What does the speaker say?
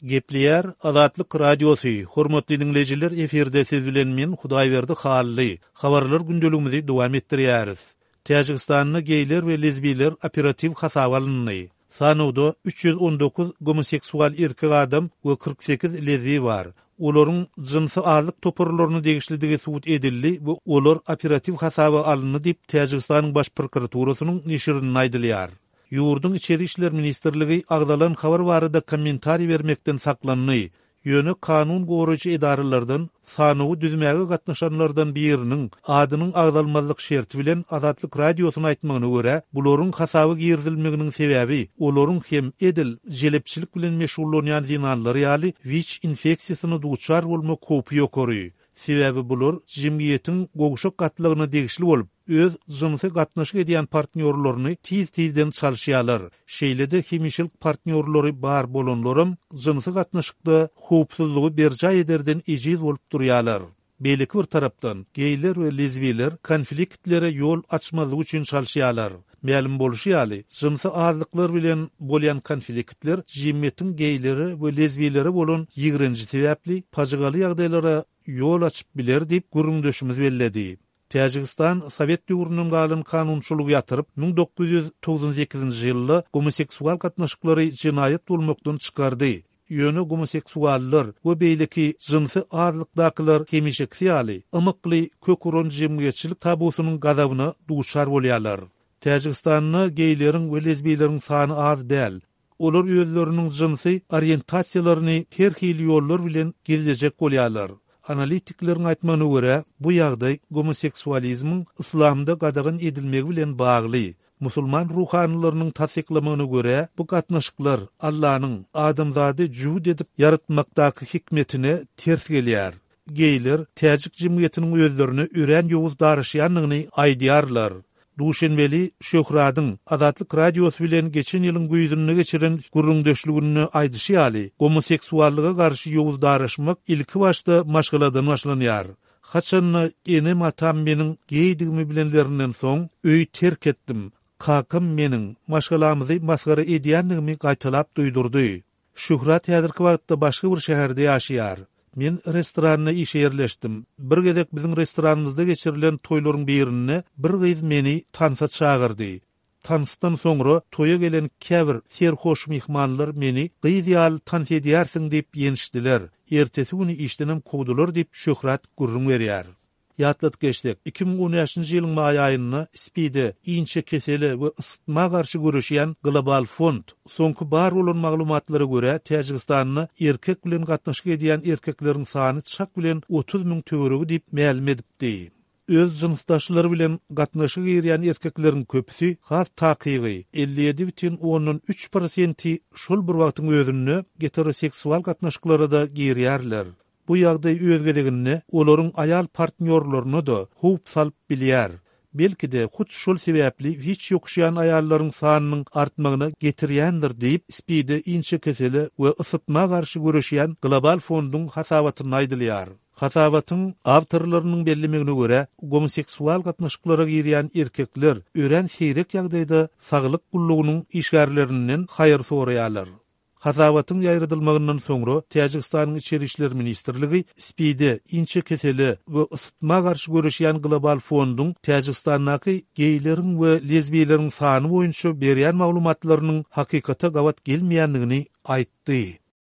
Gepleýär Azatlyk Radiosy, Hormatly diňleýjiler efirde siz bilen men Hudaýberdi Hally. Habarlar gündeligimizi dowam etdirýäris. Täjigistanda geýler we lezbiler operatiw hasaba alyndy. Sanawda 319 gomoseksual erkek adam we 48 lezbi bar. Olaryň jynsy azlyk toparlaryna degişlidigi subut edildi we olar operatiw hasaba alyndy diýip Täjigistanyň Baş prokuraturasynyň neşirinde aýdylýar. Ýurduň Içeri işler ministrligi agzalan habar barada kommentariý bermekden saklandy, ýöne kanun goraýjy edaralardan sanawy düzmäge gatnaşanlardan biriniň adynyň agzalmazlyk şerti bilen Azatlyk Radiosyna aýtmagyna görä, bularyň hasaba girizilmeginiň sebäbi olaryň hem edil jelepçilik bilen meşgullanýan zenanlar ýaly wiç infeksiýasyna duçar bolmak howpy ýokary. Sebäbi bular jemgyýetiň gowşak gatlagyna degişli bolup, öz jynsy gatnaşyk edýän partnýorlaryny tiz-tizden çalyşýarlar. Şeýle-de hemişelik partnýorlary bar bolanlaram jynsy gatnaşykda howpsuzlygy berjaý ederden ejiz bolup durýarlar. Beýleki bir tarapdan, geýler we lezbiler konfliktlere ýol açmazlyk üçin çalyşýarlar. Mälim bolşy ýaly, jynsy azlyklar bilen bolýan konfliktler jemgyýetiň geýlere we lezbilere bolan ýigrenji sebäpli pajygaly ýagdaýlara ýol açyp biler diýip, gürrüňdeşimiz belledi. Täjigistan sowet döwründen galan kanunçylygy ýatyryp, 1998-nji ýylda gomoseksual gatnaşyklary jenaýat bolmakdan çykardy. Ýöne gomoseksuallar we beýleki jynsy azlykdakylar hemişekisi ýaly, ymykly kök uran jemgyýetçilik tabusynyň gazabyna duçar bolýarlar. Täjigistanda geýleriň we lezbiýleriň sany az däl. Olar özleriniň jynsy oriýentasiýalaryny her hili ýollar bilen gizlejek bolýarlar. Analitikleriň aýtmagyna görä, bu ýagdaý gomoseksualizmiň yslamda gadagan edilmegi bilen bagly. Musulman ruhanylarynyň tassyklamagyna görä, bu gatnaşyklar Allanyň adamzady jübüt edip ýaratmakdaky hikmetine ters gelýär. Geýler täjik jemgyýetiniň özlerine örän ýowuz daraşýandygyny aýdýarlar. Duşenbeli Şöhradyň Azatlyk Radiosy bilen geçen ýylyň güýzünde geçiren gürrüňdeşliginde aýdyşy ýaly, gomoseksuallyga garşy ýowuz daraşmak ilkibaşda maşgaladan başlanýar. Haçanda enem-atam meniň geýdigimi bilenlerinden soň, öýi terk etdim. Kakam meniň maşgalamyzy masgara edýändigimi gaýtalap duýdurdy. Şöhrat häzirki wagtda başga bir şäherde ýaşaýar. Men restoranda işe ýerleşdim. Bir gezek biziň restoranymyzda geçirilen toýlaryň birinde bir gyz meni tansa çagyrdy. Tansdan soňra toýa gelen käbir serhoş myhmanlar meni gyz ýaly tans edýärsiň diýip ýençdiler. Ertesi güni işdenem kowdular diýip Şöhrat gürrüň berýär. Ýatladyp geçsek, 2015-nji ýylyň maý aýynda SPID-e, inçe kesele we ysytma garşy göreşýän global fond, soňky bar bolan maglumatlara görä, Täjigistanda erkek bilen gatnaşyk edýän erkekleriň sany çak bilen 30 müň töweregi diýip mälim edipdi. Öz jynsdaşlary bilen gatnaşyga girýän erkekleriň köpüsi, has takygy, 57,3 prosenti şol bir wagtyň özünde geteroseksual gatnaşyklara-da girýärler. Bu ýagdaý öz gezeginde olaryň aýal partnýorlaryna-da howp salyp bilýär. Belki-de, hut şol sebäpli wiç ýokuşýan aýallaryň sanynyň artmagyna getirýändir diýip, SPID-e inçe kesele we ysytma garşy göreşýän Global fonduň hasabatynda aýdylýar. Hasabatyň awtorlarynyň bellemegine görä, gomoseksual gatnaşyklara girýän erkekler örän seýrek ýagdaýda saglyk gullugynyň işgärlerinden haýyr soraýarlar. Hasabatyň ýaýradylmagyndan soňra Täjigistanyň Içeri işler ministrligi SPID-e, inçe kesele we ysytma garşy göreşýän global fonduň Täjigistandaky geýleriň we lezbiýleriň sany boýunça berýän maglumatlarynyň hakykata gabat gelmeýändigini aýtdy.